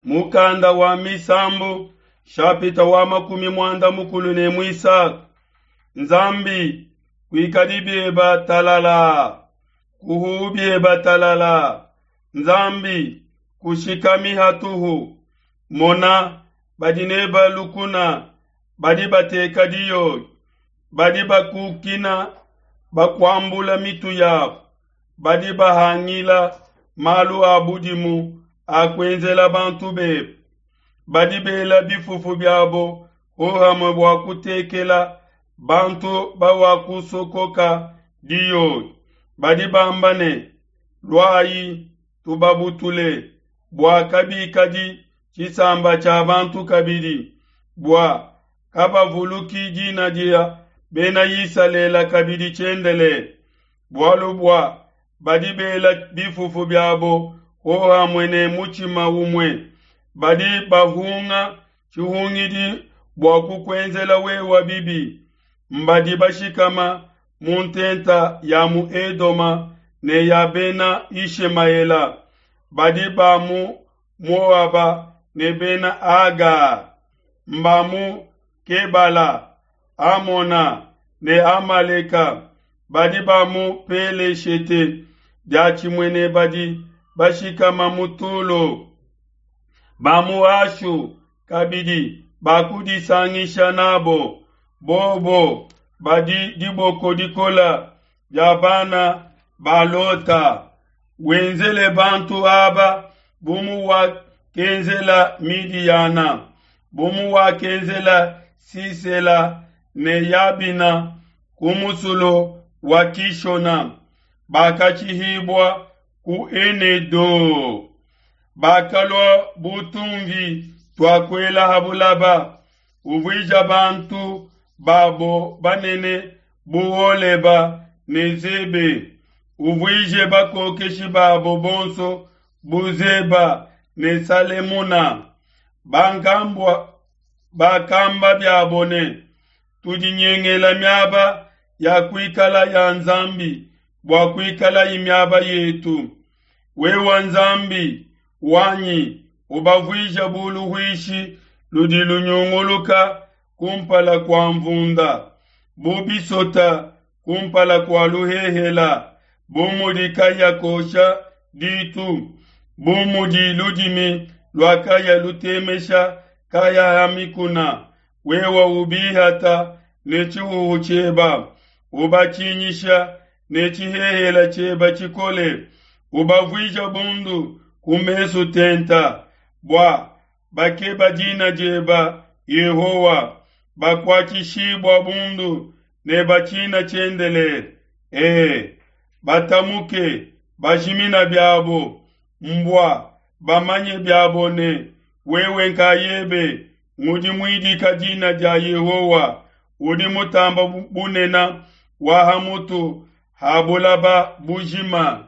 Mukanda wa Misambu shapita wa 13. Nzambi kuikadi bieba talala, kuhu bieba talala. Nzambi kushikami hatuhu. Mona badi neba lukuna, badi bateka diyoyi, badi bakukina bakuambula mitu yabo, badi bahangila malu a budimu a kuenzela bantu bebe. Badi bela bifufu biabo hohamue bua kutekela bantu bawakusokoka diyoyi. Badi bamba ne, Luayi tubabutule, bua kabikadi tshisamba tshia bantu kabidi, bua kabavuluki dina dia Bena Isalele kabidi tshiendelele. Bualu bua badi bela bifufu biabo hohamue ne mutshima umue, badi bahunga tshihungidi bua kukuenzela wewe bibi. Mbadi bashikama mu ntenta ya mu Edoma ne ya Bena Yishemaela, badi ba mu Moaba ne Bena Aga, mba mu Kebala, Amona ne Amaleka, badi ba mu Peleshete diatshimue ne badi bashikama mu Tulo. Ba mu Ashu kabidi bakudisangisha nabo, bobo badi diboko dikola dia bana ba Lota. Wenzele bantu aba bu muwakenzela Midiyana, bu muwakenzela Sisela ne Yabina ku musulu wa Kishona, bakatshihibua ku Enedo. Bakalua bu tumvi tua kuela ha bulaba, uvuija bantu babo banene bu Oleba ne Zebe, uvuije bakokeshi babo bonso bu Zeba ne Salemuna. Bankambua bakamba biabo ne, Tudinyengela miaba ya kuikala ya Nzambi bua kuikalayi miaba yetu. Wewe Nzambi wanyi, ubavuija bu luhuishi ludi lunyunguluka kumpala kua mvunda, bu bisota kumpala kua luhehela, bu mudi kahia kosha ditu, bu mudi ludimi lua kahia lutemesha kahia ha mikuna. Wewe ubihata ne tshihuhu tshieba, ubatshinyisha ne tshihehela tshieba tshikole, ubavuija bundu ku mesu tenta, bua bakeba dina dieba Yehowa, bakuatshishibua bundu ne batshina tshiendelele. E, batamuke bajimina biabo, mbua bamanye biabo ne wewe nkayebe ngudi muidika dina dia Yehowa, udi mutamba bunene wa ha mutu ha bulaba bujima.